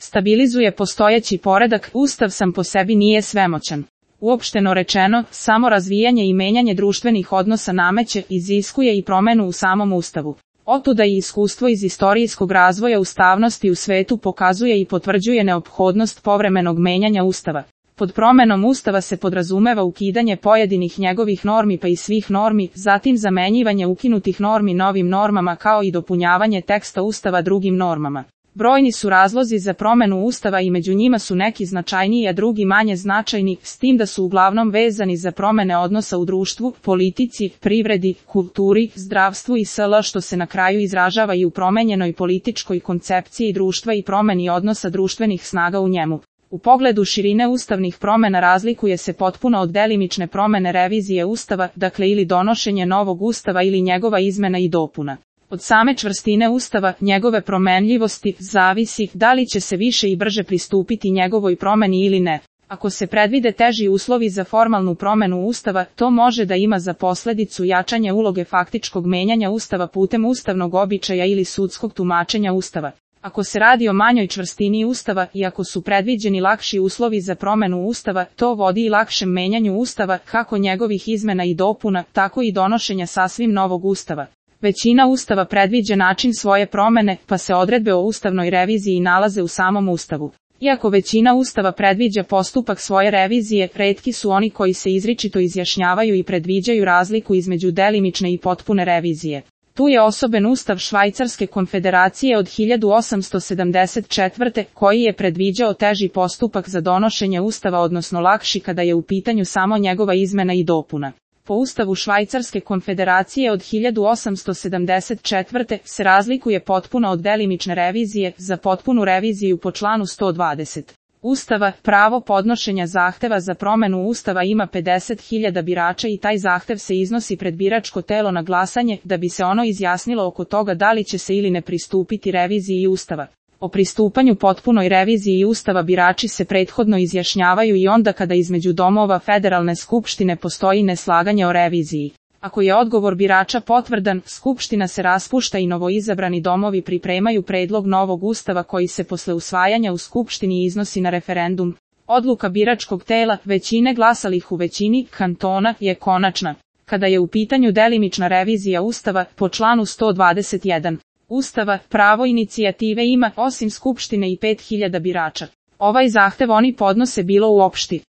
stabilizuje postojeći poredak, Ustav sam po sebi nije svemoćan. Uopšteno rečeno, samo razvijanje i menjanje društvenih odnosa nameće, iziskuje i promenu u samom Ustavu. Otuda i iskustvo iz istorijskog razvoja ustavnosti u svetu pokazuje i potvrđuje neophodnost povremenog menjanja Ustava. Pod promenom Ustava se podrazumeva ukidanje pojedinih njegovih normi pa i svih normi, zatim zamenjivanje ukinutih normi novim normama kao i dopunjavanje teksta Ustava drugim normama. Brojni su razlozi za promenu Ustava i među njima su neki značajniji a drugi manje značajni, s tim da su uglavnom vezani za promene odnosa u društvu, politici, privredi, kulturi, zdravstvu i sl. Što se na kraju izražava i u promenjenoj političkoj koncepciji društva i promeni odnosa društvenih snaga u njemu. U pogledu širine ustavnih promena razlikuje se potpuno od delimične promene revizije Ustava, dakle ili donošenje novog Ustava ili njegova izmena i dopuna. Od same čvrstine Ustava, njegove promenljivosti, zavisi da li će se više i brže pristupiti njegovoj promeni ili ne. Ako se predvide teži uslovi za formalnu promenu Ustava, to može da ima za posledicu jačanje uloge faktičkog menjanja Ustava putem ustavnog običaja ili sudskog tumačenja Ustava. Ako se radi o manjoj čvrstini Ustava i ako su predviđeni lakši uslovi za promenu Ustava, to vodi i lakšem menjanju Ustava, kako njegovih izmena i dopuna, tako i donošenja sasvim novog Ustava. Većina Ustava predviđa način svoje promene, pa se odredbe o ustavnoj reviziji nalaze u samom Ustavu. Iako većina Ustava predviđa postupak svoje revizije, retki su oni koji se izričito izjašnjavaju i predviđaju razliku između delimične i potpune revizije. Tu je osoben Ustav Švajcarske konfederacije od 1874. koji je predviđao teži postupak za donošenje Ustava, odnosno lakši kada je u pitanju samo njegova izmena i dopuna. Po Ustavu Švajcarske konfederacije od 1874. se razlikuje potpuno od delimične revizije, za potpunu reviziju po članu 120. Ustava, pravo podnošenja zahteva za promenu Ustava ima 50.000 birača i taj zahtev se iznosi pred biračko telo na glasanje, da bi se ono izjasnilo oko toga da li će se ili ne pristupiti reviziji Ustava. O pristupanju potpunoj reviziji Ustava birači se prethodno izjašnjavaju i onda kada između domova Federalne skupštine postoji neslaganje o reviziji. Ako je odgovor birača potvrdan, Skupština se raspušta i novoizabrani domovi pripremaju predlog novog Ustava koji se posle usvajanja u Skupštini iznosi na referendum. Odluka biračkog tela, većine glasalih u većini kantona, je konačna. Kada je u pitanju delimična revizija Ustava, po članu 121. Ustava, pravo inicijative ima, osim Skupštine, i 5.000 birača. Ovaj zahtev oni podnose bilo u opšti